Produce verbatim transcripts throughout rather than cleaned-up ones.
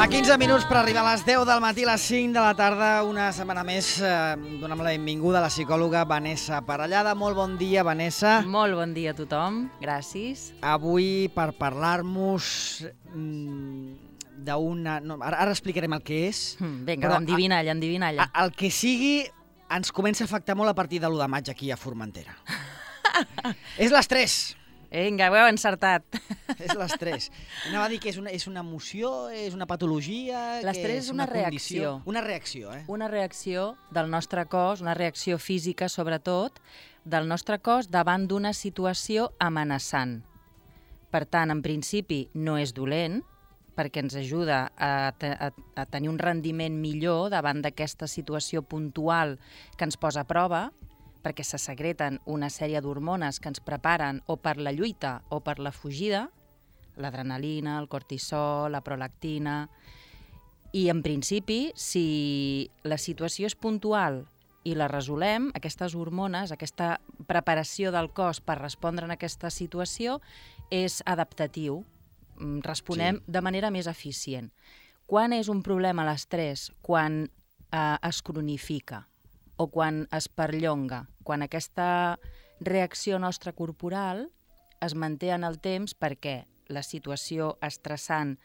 A quinze minuts per arribar a les deu del matí, a les cinc de la tarda, una setmana més, eh, donem la benvinguda a la psicòloga Vanessa Parellada. Molt bon dia, Vanessa. Molt bon dia a tothom, gràcies. Avui per parlar-nos mm, d'una... No, ara, ara explicarem el que és. Mm, vinga, endivinalla, endivinalla. El que sigui ens comença a afectar molt a partir de l'u de maig aquí a Formentera. És l'estrès. Vinga, ho heu encertat. És l'estrès. Anava a dir que és una, és una emoció, és una patologia... L'estrès és una, una reacció. Una reacció, eh? Una reacció del nostre cos, una reacció física, sobretot, del nostre cos davant d'una situació amenaçant. Per tant, en principi, no és dolent, perquè ens ajuda a, a, a tenir un rendiment millor davant d'aquesta situació puntual que ens posa a prova, perquè se secreten una sèrie d'hormones que ens preparen o per la lluita o per la fugida, l'adrenalina, el cortisol, la prolactina, i en principi, si la situació és puntual i la resolem, aquestes hormones, aquesta preparació del cos per respondre en aquesta situació és adaptatiu, responem sí. de manera més eficient. Quan és un problema l'estrès? Quan eh, es cronifica o quan es perllonga, quan aquesta reacció nostra corporal es manté en el temps perquè la situació estressant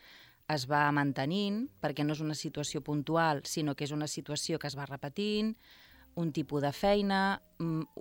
es va mantenint, perquè no és una situació puntual, sinó que és una situació que es va repetint, un tipus de feina,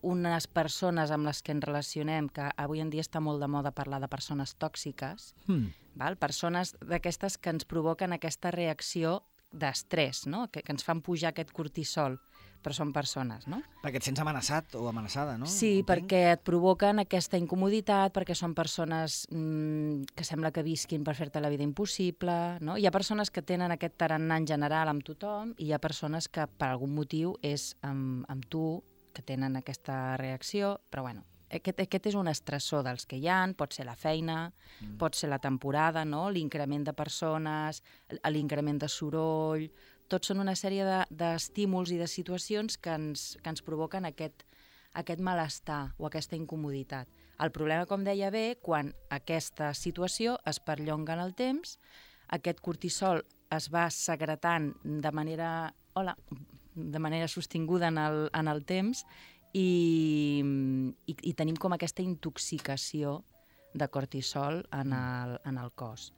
unes persones amb les que ens relacionem, que avui en dia està molt de moda parlar de persones tòxiques, mm. val? Persones d'aquestes que ens provoquen aquesta reacció d'estrès, no? que, que ens fan pujar aquest cortisol, però són persones, no? Perquè et sents amenaçat o amenaçada, no? Sí, Entenc? Perquè et provoquen aquesta incomoditat, perquè són persones mmm, que sembla que visquin per fer-te la vida impossible, no? Hi ha persones que tenen aquest tarannà en general amb tothom i hi ha persones que per algun motiu és amb, amb tu, que tenen aquesta reacció, però bueno, aquest, aquest és un estressor dels que hi ha, pot ser la feina, mm. pot ser la temporada, no? L'increment de persones, l'increment de soroll... Tots són una sèrie d'estímuls i de situacions que ens, que ens provoquen aquest, aquest malestar o aquesta incomoditat. El problema, com deia bé, quan aquesta situació es perllonga en el temps, aquest cortisol es va secretant de manera, hola, de manera sostinguda en el, en el temps i, i, i tenim com aquesta intoxicació de cortisol en el, en el cos.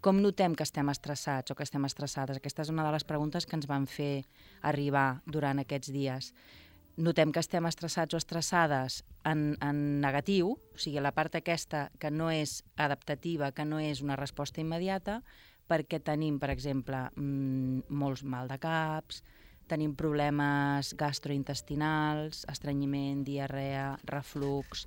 Com notem que estem estressats o que estem estressades? Aquesta és una de les preguntes que ens van fer arribar durant aquests dies. Notem que estem estressats o estressades en, en negatiu, o sigui, la part aquesta que no és adaptativa, que no és una resposta immediata, perquè tenim, per exemple, mmm, molts mal de caps, tenim problemes gastrointestinals, estrenyiment, diarrea, reflux,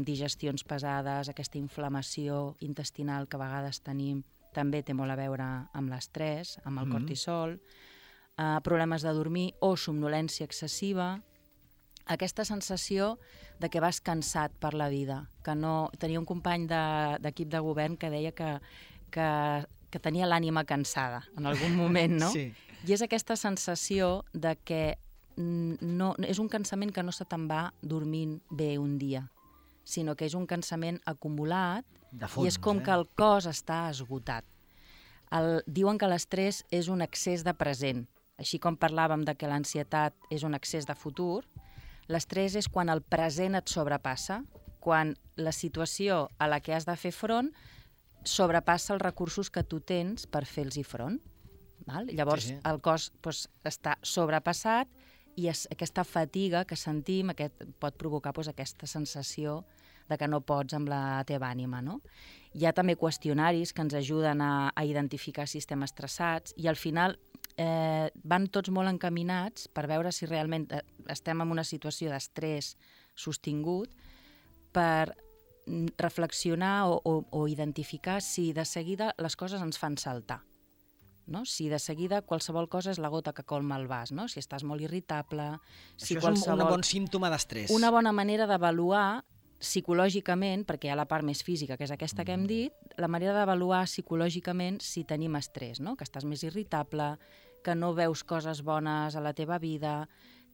digestions pesades, aquesta inflamació intestinal que a vegades tenim, també té molt a veure amb l'estrès, amb el cortisol, uh, problemes de dormir o somnolència excessiva, aquesta sensació de que vas cansat per la vida, que no... Tenia un company d'equip de, de govern que deia que, que, que tenia l'ànima cansada en algun moment, no? Sí. I és aquesta sensació de que no, és un cansament que no se te'n va dormint bé un dia, sinó que és un cansament acumulat fons, i és com eh? que el cos està esgotat. El, diuen que l'estrès és un excés de present. Així com parlàvem de que l'ansietat és un excés de futur, l'estrès és quan el present et sobrepassa, quan la situació a la que has de fer front sobrepassa els recursos que tu tens per fer-los front. Val? Llavors sí, sí. el cos doncs, està sobrepassat i es, aquesta fatiga que sentim aquest, pot provocar doncs, aquesta sensació de que no pots amb la teva ànima. No? Hi ha també qüestionaris que ens ajuden a, a identificar si estem estressats i al final eh, van tots molt encaminats per veure si realment estem en una situació d'estrès sostingut per reflexionar o, o, o identificar si de seguida les coses ens fan saltar. No? Si de seguida qualsevol cosa és la gota que colma el vas, no? Si estàs molt irritable... Si Això qualsevol... és un bon símptoma d'estrès. Una bona manera d'avaluar psicològicament, perquè hi ha la part més física, que és aquesta que hem dit, la manera d'avaluar psicològicament si tenim estrès, no? Que estàs més irritable, que no veus coses bones a la teva vida,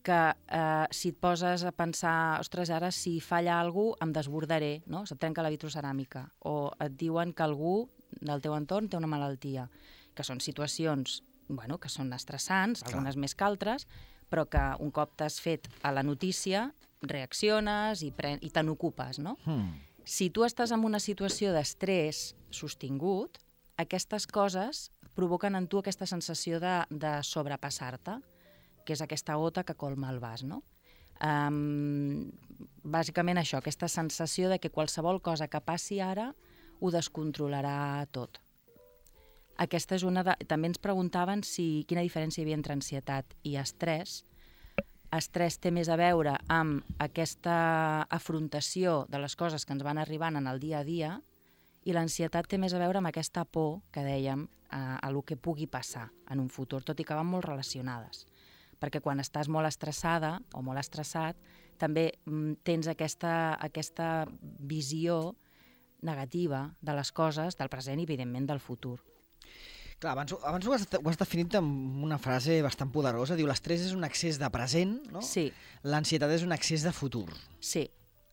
que eh, si et poses a pensar, ostres, ara si falla alguna cosa em desbordaré, no? Se't trenca la vitroceràmica, o et diuen que algú del teu entorn té una malaltia. que són situacions bueno, que són estressants, Clar. algunes més que altres, però que un cop t'has fet a la notícia, reacciones i, pre i te n'ocupes, no? Hmm. Si tu estàs en una situació d'estrès sostingut, aquestes coses provoquen en tu aquesta sensació de, de sobrepassar-te, que és aquesta gota que colma el vas, no? Um, bàsicament això, aquesta sensació de que qualsevol cosa que passi ara ho descontrolarà tot. Aquesta és una de... També ens preguntaven si quina diferència hi havia entre ansietat i estrès. Estrès té més a veure amb aquesta afrontació de les coses que ens van arribant en el dia a dia i l'ansietat té més a veure amb aquesta por que dèiem a, a lo que pugui passar en un futur, tot i que van molt relacionades. Perquè quan estàs molt estressada o molt estressat també mm, tens aquesta, aquesta visió negativa de les coses, del present i evidentment del futur. Clar, abans, abans ho, has, ho has definit amb una frase bastant poderosa. Diu, l'estrès és un excés de present, no? Sí. L'ansietat és un excés de futur. Sí.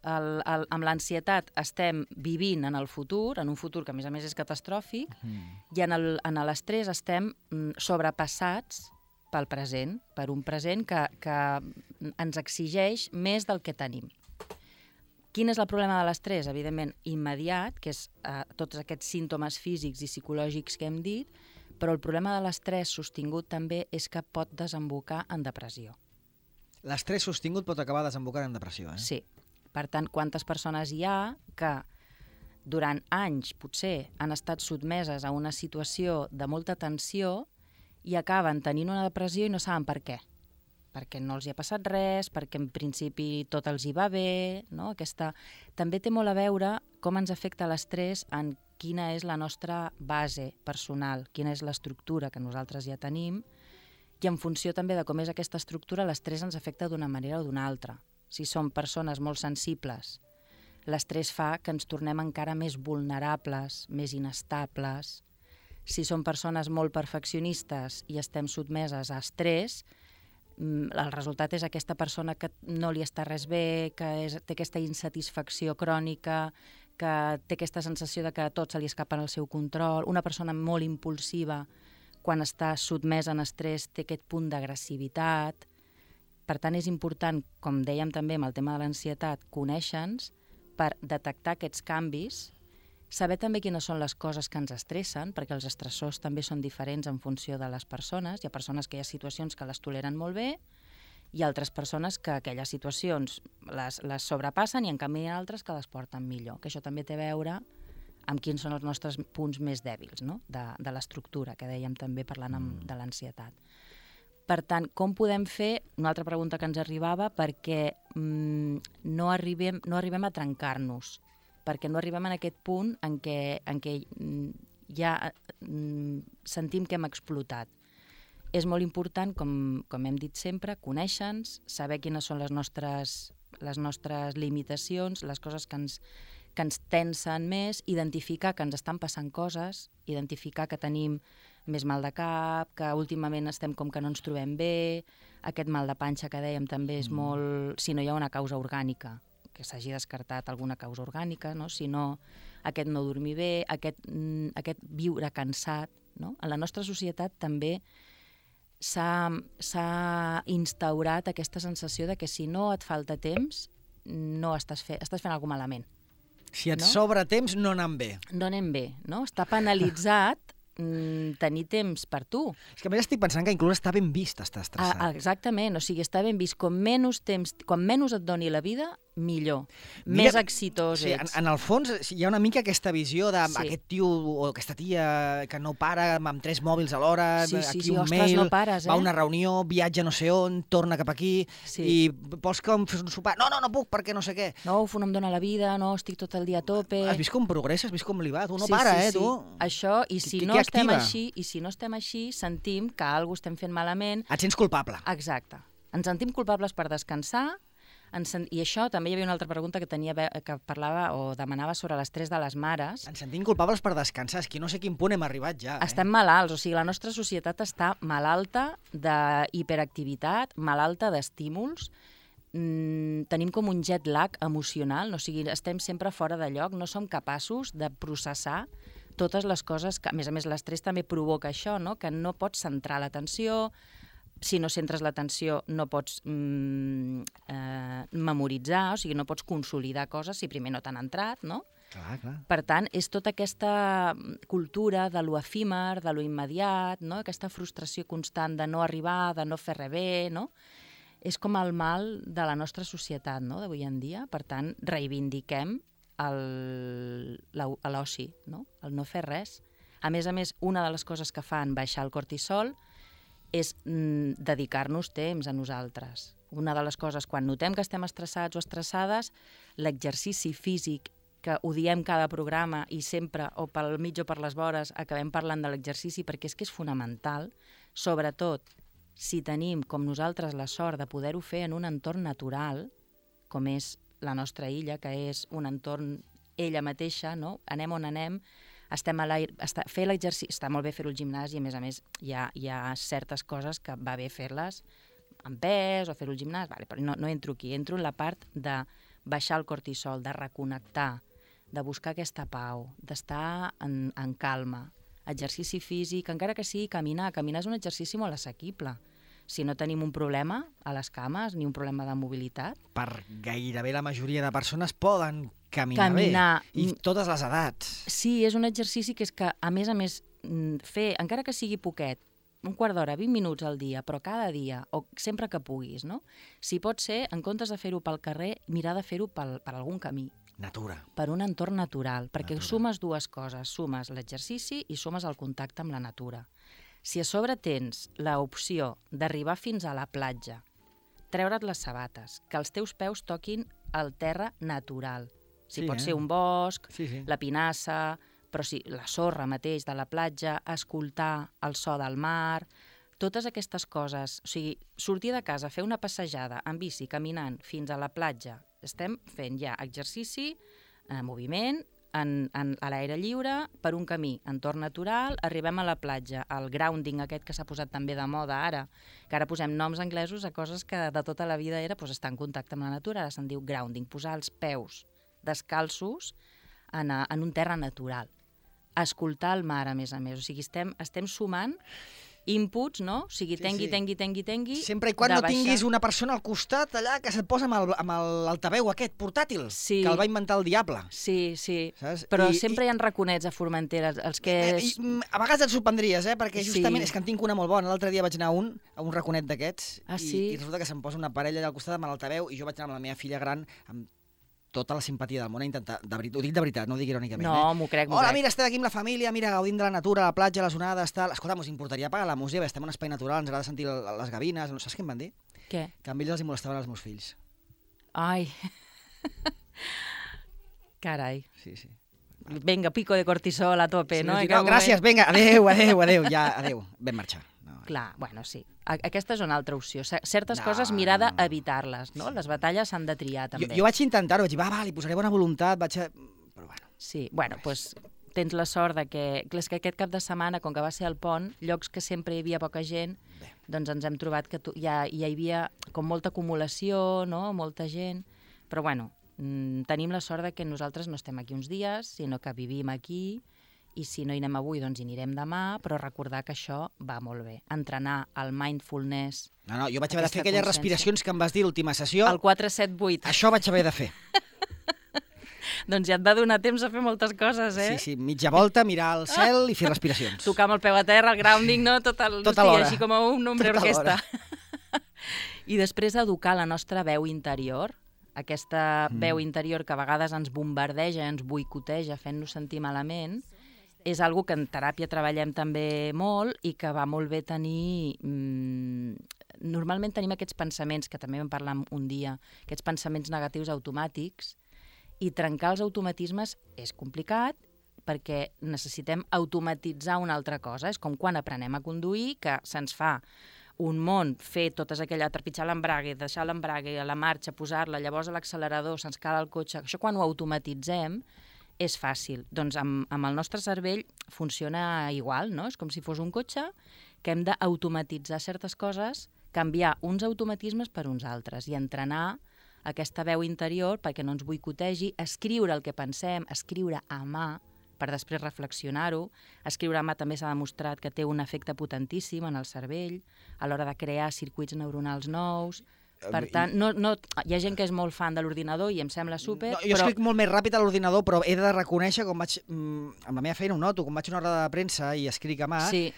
El, el, amb l'ansietat estem vivint en el futur, en un futur que a més a més és catastròfic, mm. i en l'estrès estem mm, sobrepassats pel present, per un present que, que ens exigeix més del que tenim. Quin és el problema de l'estrès? Evidentment, immediat, que és eh, tots aquests símptomes físics i psicològics que hem dit, però el problema de l'estrès sostingut també és que pot desembocar en depressió. L'estrès sostingut pot acabar desembocant en depressió, eh? Sí. Per tant, quantes persones hi ha que durant anys, potser, han estat sotmeses a una situació de molta tensió i acaben tenint una depressió i no saben per què. Perquè no els hi ha passat res, perquè en principi tot els hi va bé, no? Aquesta... També té molt a veure com ens afecta l'estrès en quina és la nostra base personal, quina és l'estructura que nosaltres ja tenim, i en funció també de com és aquesta estructura, l'estrès ens afecta d'una manera o d'una altra. Si som persones molt sensibles, l'estrès fa que ens tornem encara més vulnerables, més inestables. Si som persones molt perfeccionistes i estem sotmeses a estrès, el resultat és aquesta persona que no li està res bé, que és, té aquesta insatisfacció crònica, que té aquesta sensació de que a tot se li escapa en el seu control. Una persona molt impulsiva, quan està sotmesa en estrès, té aquest punt d'agressivitat. Per tant, és important, com dèiem també amb el tema de l'ansietat, conèixer-nos per detectar aquests canvis, saber també quines són les coses que ens estressen, perquè els estressors també són diferents en funció de les persones. Hi ha persones que hi ha situacions que les toleren molt bé i altres persones que aquelles situacions les, les sobrepassen i en canvi hi ha altres que les porten millor. Que això també té a veure amb quins són els nostres punts més dèbils, no? de, de l'estructura, que dèiem també parlant amb, de l'ansietat. Per tant, com podem fer, una altra pregunta que ens arribava, perquè mm, no, arribem, no arribem a trencar-nos, perquè no arribem en aquest punt en què, en què ja mm, sentim que hem explotat. És molt important, com, com hem dit sempre, conèixer-nos, saber quines són les nostres, les nostres limitacions, les coses que ens, que ens tensen més, identificar que ens estan passant coses, identificar que tenim més mal de cap, que últimament estem com que no ens trobem bé, aquest mal de panxa que dèiem també és mm. molt... Si no hi ha una causa orgànica, que s'hagi descartat alguna causa orgànica, no? Si no, aquest no dormir bé, aquest, mm, aquest viure cansat, no? En la nostra societat també s'ha instaurat aquesta sensació de que si no et falta temps, no estàs, fe estàs fent alguna cosa malament. Si et no? sobra temps, no anem bé. No anem bé, no? Està penalitzat mm, tenir temps per tu. És que a més estic pensant que inclús està ben vist estar estressat. Ah, exactament, o sigui, està ben vist. Com menys temps, quan menys et doni la vida, millor. Mira, més exitós sí, ets. En, en el fons hi ha una mica aquesta visió d'aquest sí. tio o aquesta tia que no para amb tres mòbils alhora, sí, sí, aquí sí, un ostres, mail, no pares, eh? va a una reunió, viatja no sé on, torna cap aquí, sí. i vols que em fes un sopar? No, no, no puc perquè no sé què. No, uf, no em dóna la vida, no, estic tot el dia a tope. Has vist com progressa, has vist com li va? Tu no sí, para, sí, eh, sí. tu? Això, i si, no estem així, i si no estem així, sentim que alguna cosa estem fent malament. Et sents culpable. Exacte. Ens sentim culpables per descansar. I això també hi havia una altra pregunta que tenia que parlava o demanava sobre l'estrès de les mares. Ens sentim culpables per descansar, és que no sé quin punt hem arribat ja. Estem eh? malalts, o sigui, la nostra societat està malalta d'hiperactivitat, malalta d'estímuls, mm, tenim com un jet lag emocional, o sigui, estem sempre fora de lloc, no som capaços de processar totes les coses que, a més a més, l'estrès també provoca això, no? Que no pots centrar l'atenció, si no centres l'atenció no pots mm, eh, memoritzar, o sigui, no pots consolidar coses si primer no t'han entrat, no? Clar, clar. Per tant, és tota aquesta cultura de lo efímer, de lo immediat, no? Aquesta frustració constant de no arribar, de no fer res bé, no? És com el mal de la nostra societat, no?, d'avui en dia. Per tant, reivindiquem l'oci, no?, el no fer res. A més a més, una de les coses que fan baixar el cortisol és mm, dedicar-nos temps a nosaltres. Una de les coses, quan notem que estem estressats o estressades, l'exercici físic, que ho diem cada programa i sempre, o pel mig o per les vores, acabem parlant de l'exercici perquè és que és fonamental, sobretot si tenim, com nosaltres, la sort de poder-ho fer en un entorn natural, com és la nostra illa, que és un entorn ella mateixa, no? Anem on anem, estem a l'aire, està, fer l'exercici, està molt bé fer-ho al gimnàs i a més a més hi ha, hi ha certes coses que va bé fer-les amb pes o fer-ho al gimnàs, vale, però no, no entro aquí, entro en la part de baixar el cortisol, de reconnectar, de buscar aquesta pau, d'estar en, en calma, exercici físic, encara que sigui caminar, caminar és un exercici molt assequible. Si no tenim un problema a les cames ni un problema de mobilitat. Per gairebé la majoria de persones poden caminar, caminar bé, i totes les edats. Sí, és un exercici que és que, a més a més, fer, encara que sigui poquet, un quart d'hora, vint minuts al dia, però cada dia, o sempre que puguis, no? Si pot ser, en comptes de fer-ho pel carrer, mirar de fer-ho per algun camí. Natura. Per un entorn natural, perquè natura. Sumes dues coses, sumes l'exercici i sumes el contacte amb la natura. Si a sobre tens l'opció d'arribar fins a la platja, treure't les sabates, que els teus peus toquin el terra natural. Si sí, pot eh? ser un bosc, sí, sí. la pinassa, però sí, la sorra mateix de la platja, escoltar el so del mar, totes aquestes coses. O sigui, sortir de casa, fer una passejada en bici, caminant fins a la platja, estem fent ja exercici, eh, moviment, en, en, a l'aire lliure, per un camí, entorn natural, arribem a la platja, el grounding aquest que s'ha posat també de moda ara, que ara posem noms anglesos a coses que de tota la vida era pues, estar en contacte amb la natura, ara se'n diu grounding, posar els peus descalços en, a, en un terra natural. Escoltar el mar, a més a més. O sigui, estem, estem sumant inputs, no? O sigui, tengui, sí, sí. tengui, tengui, tengui... Sempre i quan no tinguis una persona al costat allà que se't posa amb l'altaveu aquest portàtil, sí. que el va inventar el diable. Sí, sí. Saps? Però I, sempre i... hi ha raconets a Formentera, els que... I, a vegades et sorprendries, eh? Perquè justament sí. és que en tinc una molt bona. L'altre dia vaig anar a un, a un raconet d'aquests, ah, i, sí? i resulta que se'm posa una parella allà al costat amb l'altaveu i jo vaig anar amb la meva filla gran amb tota la simpatia del món a intentar, de veritat, ho dic de veritat, no ho dic irònicament. No, eh? m'ho crec, m'ho Hola, crec. mira, estem aquí amb la família, mira, gaudint de la natura, la platja, les onades, tal. Escolta, us importaria apagar la música? Estem en un espai natural, ens agrada sentir les gavines, no saps què em van dir? Què? Que amb ells els molestaven els meus fills. Ai. Carai. Sí, sí. Vinga, pico de cortisol a tope, sí, no? Dic, no gràcies, vinga, adéu, adéu, adéu, ja, adéu, vam marxar. No. Clar, bueno, sí. Aquesta és una altra opció. Certes no, coses mirar no, no. d'evitar-les, no? Les batalles s'han de triar, també. Jo, jo vaig intentar-ho, vaig dir, va, va, li posaré bona voluntat, vaig a... Però bueno. Sí, bueno, doncs pues, tens la sort de que... És que aquest cap de setmana, com que va ser el pont, llocs que sempre hi havia poca gent, bé. Doncs ens hem trobat que tu, ja, ja hi havia com molta acumulació, no? Molta gent, però bueno, mmm, tenim la sort de que nosaltres no estem aquí uns dies, sinó que vivim aquí, i si no hi anem avui, doncs hi anirem demà, però recordar que això va molt bé. Entrenar el mindfulness... No, no, jo vaig haver de fer aquelles respiracions que em vas dir l'última sessió. El quatre set vuit. Això vaig haver de fer. Doncs ja et va donar temps a fer moltes coses, eh? Sí, sí, mitja volta, mirar al cel i fer respiracions. Tocar amb el peu a terra, el grounding, no? Tot el... Tota l'hora. Així com un nombre orquestra. I després educar la nostra veu interior, aquesta mm. veu interior que a vegades ens bombardeja, ens boicoteja, fent-nos sentir malament, és algo que en teràpia treballem també molt i que va molt bé tenir... Mmm, normalment tenim aquests pensaments, que també vam parlar un dia, aquests pensaments negatius automàtics, i trencar els automatismes és complicat perquè necessitem automatitzar una altra cosa. És com quan aprenem a conduir, que se'ns fa un món fer totes aquelles, trepitjar l'embrague, deixar l'embrague a la marxa, posar-la, llavors a l'accelerador, se'ns cala el cotxe. Això quan ho automatitzem és fàcil. Doncs amb, amb el nostre cervell funciona igual, no? És com si fos un cotxe que hem d'automatitzar certes coses, canviar uns automatismes per uns altres i entrenar aquesta veu interior perquè no ens boicotegi, escriure el que pensem, escriure a mà, per després reflexionar-ho. Escriure a mà també s'ha demostrat que té un efecte potentíssim en el cervell a l'hora de crear circuits neuronals nous. Per tant, no, no, hi ha gent que és molt fan de l'ordinador i em sembla súper, no, jo però... escric molt més ràpid a l'ordinador, però he de reconèixer, com vaig, amb la meva feina ho noto, quan vaig a una roda de premsa i escric a mà, Sí.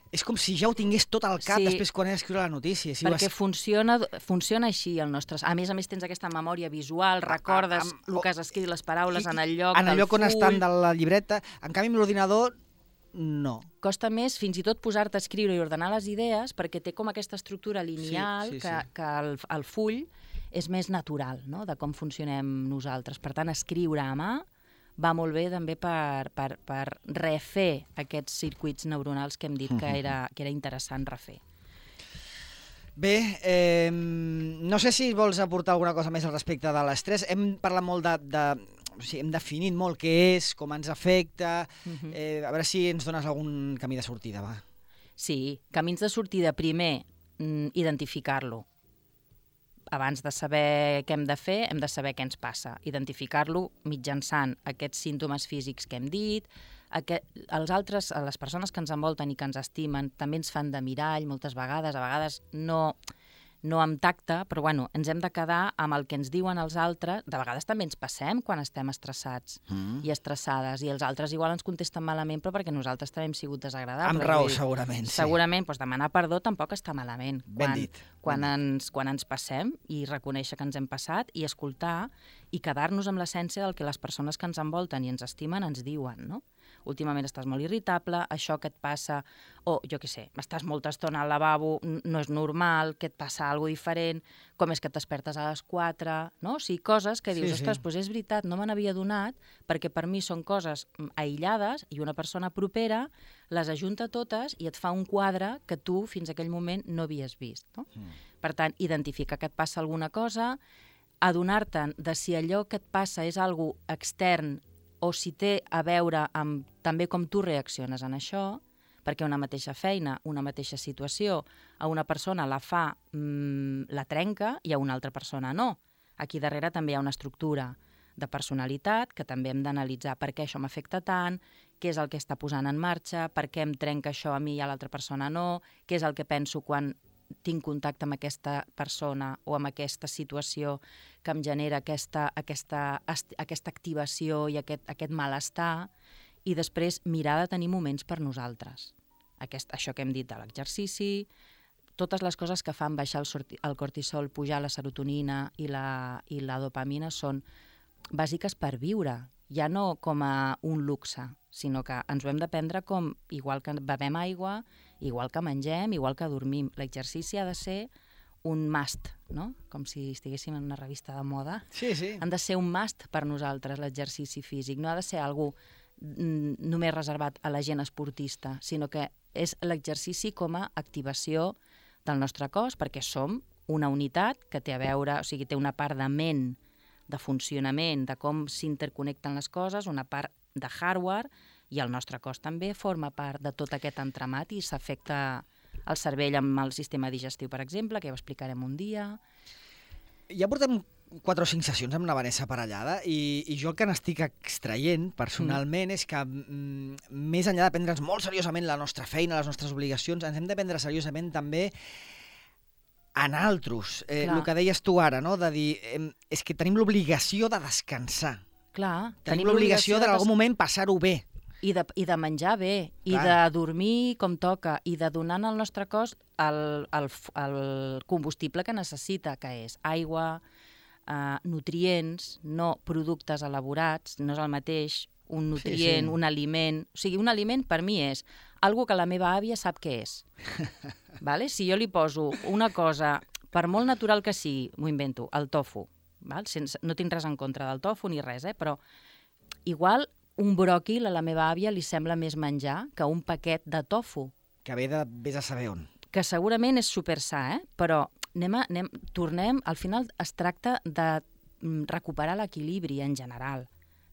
és com si ja ho tingués tot al cap Sí. després quan he d'escriure la notícia. Si Perquè has... funciona, funciona així el nostre... A més a més tens aquesta memòria visual, recordes a, a, el que has escrit, les paraules i, en el lloc en el del lloc on full. estan de la llibreta. En canvi, amb l'ordinador, no. Costa més fins i tot posar-te a escriure i ordenar les idees perquè té com aquesta estructura lineal sí, sí, que, sí. que el, el full és més natural, no?, de com funcionem nosaltres. Per tant, escriure a mà va molt bé també per, per, per refer aquests circuits neuronals que hem dit que era, que era interessant refer. Bé, eh, no sé si vols aportar alguna cosa més al respecte de l'estrès. Hem parlat molt de... de o sigui, hem definit molt què és, com ens afecta... Uh-huh. eh, a veure si ens dones algun camí de sortida, va. Sí, camins de sortida. Primer, mm, identificar-lo. Abans de saber què hem de fer, hem de saber què ens passa. Identificar-lo mitjançant aquests símptomes físics que hem dit. Aquest, els altres, les persones que ens envolten i que ens estimen, també ens fan de mirall moltes vegades, a vegades no, no amb tacte, però bueno, ens hem de quedar amb el que ens diuen els altres. De vegades també ens passem quan estem estressats mm. i estressades, i els altres igual ens contesten malament, però perquè nosaltres també hem sigut desagradables. Amb raó, segurament, sí. Segurament, doncs demanar perdó tampoc està malament. Ben quan, dit. Quan ens, quan ens passem i reconèixer que ens hem passat i escoltar i quedar-nos amb l'essència del que les persones que ens envolten i ens estimen ens diuen, no? Últimament estàs molt irritable, això que et passa, o jo què sé, estàs molta estona al lavabo, no és normal, que et passa alguna cosa diferent, com és que et despertes a les quatre, no? O sigui, coses que dius, Sí, ostres, sí. doncs és veritat, no me n'havia donat, perquè per mi són coses aïllades i una persona propera les ajunta totes i et fa un quadre que tu fins a aquell moment no havies vist, no? Mm. Per tant, identificar que et passa alguna cosa, adonar-te'n de si allò que et passa és algo extern o si té a veure amb també com tu reacciones en això, perquè una mateixa feina, una mateixa situació, a una persona la fa, mmm, la trenca, i a una altra persona no. Aquí darrere també hi ha una estructura de personalitat que també hem d'analitzar per què això m'afecta tant, què és el que està posant en marxa, per què em trenca això a mi i a l'altra persona no, què és el que penso quan tinc contacte amb aquesta persona o amb aquesta situació que em genera aquesta, aquesta, aquesta activació i aquest, aquest malestar, i després mirar de tenir moments per nosaltres. Aquest, això que hem dit de l'exercici, totes les coses que fan baixar el, sorti, el cortisol, pujar la serotonina i la, i la dopamina són bàsiques per viure, ja no com a un luxe, sinó que ens ho hem de prendre com, igual que bevem aigua, igual que mengem, igual que dormim. L'exercici ha de ser un must, no? Com si estiguéssim en una revista de moda. Sí, sí. Han de ser un must per nosaltres, l'exercici físic. No ha de ser algú mm, només reservat a la gent esportista, sinó que és l'exercici com a activació del nostre cos, perquè som una unitat que té a veure, o sigui, té una part de ment, de funcionament, de com s'interconnecten les coses, una part de hardware, i el nostre cos també forma part de tot aquest entramat i s'afecta el cervell amb el sistema digestiu, per exemple, que ja ho explicarem un dia. Ja portem quatre o cinc sessions amb la Vanessa Parellada i, i jo el que n'estic extraient personalment mm. és que mm, més enllà de prendre'ns molt seriosament la nostra feina, les nostres obligacions, ens hem de prendre seriosament també en altres. Eh, el que deies tu ara, no? De dir, eh, és que tenim l'obligació de descansar. Clar, tenim, tenim l'obligació de en algun moment passar-ho bé. I de, I de menjar bé, Clar. I de dormir com toca, i de donar al nostre cos el, el, el combustible que necessita, que és aigua, eh, nutrients, no productes elaborats, no és el mateix un nutrient, sí, sí. un aliment... O sigui, un aliment per mi és algo que la meva àvia sap què és. Vale? Si jo li poso una cosa, per molt natural que sigui, m'ho invento, el tofu, val? Sense, no tinc res en contra del tofu ni res, eh? Però igual un bròquil a la meva àvia li sembla més menjar que un paquet de tofu. Que ve de vés a saber on. Que segurament és super sa, eh? Però anem a, anem, tornem, al final es tracta de recuperar l'equilibri en general.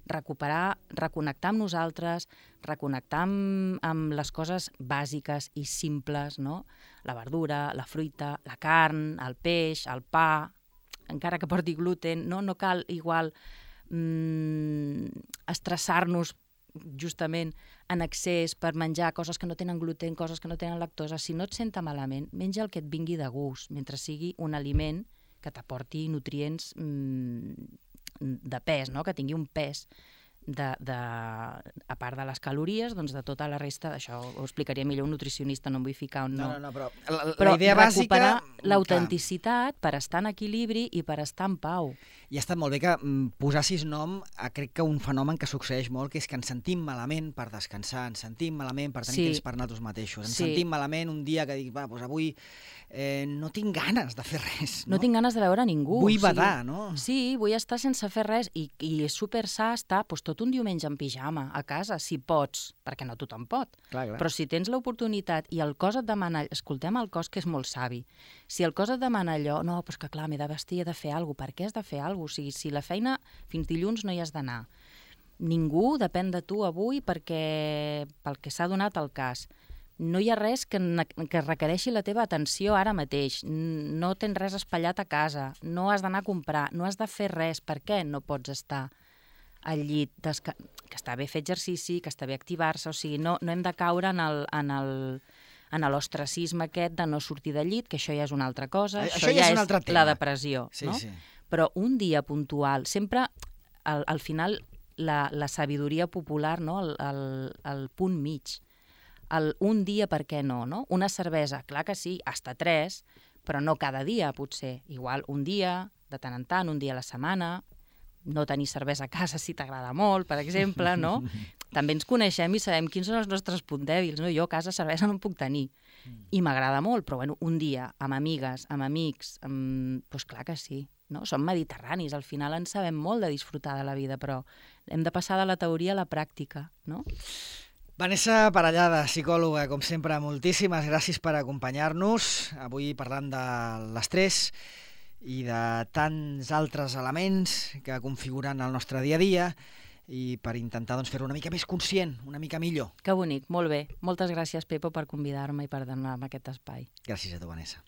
Recuperar, reconnectar amb nosaltres, reconnectar amb, amb les coses bàsiques i simples, no? La verdura, la fruita, la carn, el peix, el pa, encara que porti gluten, no, no cal igual mm, estressar-nos justament en excés per menjar coses que no tenen gluten, coses que no tenen lactosa, si no et senta malament, menja el que et vingui de gust, mentre sigui un aliment que t'aporti nutrients mmm, de pes, no? Que tingui un pes. De, de, a part de les calories, doncs de tota la resta, això ho explicaria millor un nutricionista, no em vull ficar on no. No, no, no, però la, la però idea bàsica... recuperar l'autenticitat per estar en equilibri i per estar en pau. I ha estat molt bé que mm, posassis nom a, crec que un fenomen que succeeix molt, que és que ens sentim malament per descansar, ens sentim malament per tenir Sí. temps per nosaltres mateixos, ens Sí. sentim malament un dia que dic, va, doncs avui eh, no tinc ganes de fer res, no? No tinc ganes de veure ningú. Vull o sigui, badar, no? Sí, vull estar sense fer res i, i és super sa estar doncs, tot un diumenge en pijama a casa, si pots, perquè no tothom pot. Clar, clar. Però si tens l'oportunitat i el cos et demana... Escoltem el cos, que és molt savi. Si el cos et demana allò, no, però és que clar, m'he de vestir, he de fer alguna cosa. Per què has de fer alguna cosa? O sigui, si la feina fins dilluns no hi has d'anar. Ningú depèn de tu avui perquè pel que s'ha donat el cas. No hi ha res que, que requereixi la teva atenció ara mateix. No tens res espatllat a casa. No has d'anar a comprar. No has de fer res. Per què no pots estar al llit? Desca... Que està bé fer exercici, que està bé activar-se. O sigui, no, no hem de caure en el... En el en l'ostracisme aquest de no sortir del llit, que això ja és una altra cosa, A, això, això ja ja és un és altre tema. la depressió, Sí, no? sí. Però un dia puntual, sempre, al, al final, la, la sabidoria popular, no? el, el, el punt mig, el un dia per què no, no? Una cervesa, clar que sí, hasta tres, però no cada dia, potser. Igual un dia, de tant en tant, un dia a la setmana, no tenir cervesa a casa si t'agrada molt, per exemple, no? També ens coneixem i sabem quins són els nostres punts dèbils, no? Jo a casa cervesa no en puc tenir. I m'agrada molt, però bueno, un dia, amb amigues, amb amics, amb... doncs clar que sí, no? Som mediterranis, al final en sabem molt de disfrutar de la vida, però hem de passar de la teoria a la pràctica, no? Vanessa Parellada, psicòloga, com sempre, moltíssimes gràcies per acompanyar-nos, avui parlant de l'estrès i de tants altres elements que configuren el nostre dia a dia, i per intentar doncs, fer-lo una mica més conscient, una mica millor. Que bonic, molt bé. Moltes gràcies, Pepo, per convidar-me i per donar-me aquest espai. Gràcies a tu, Vanessa.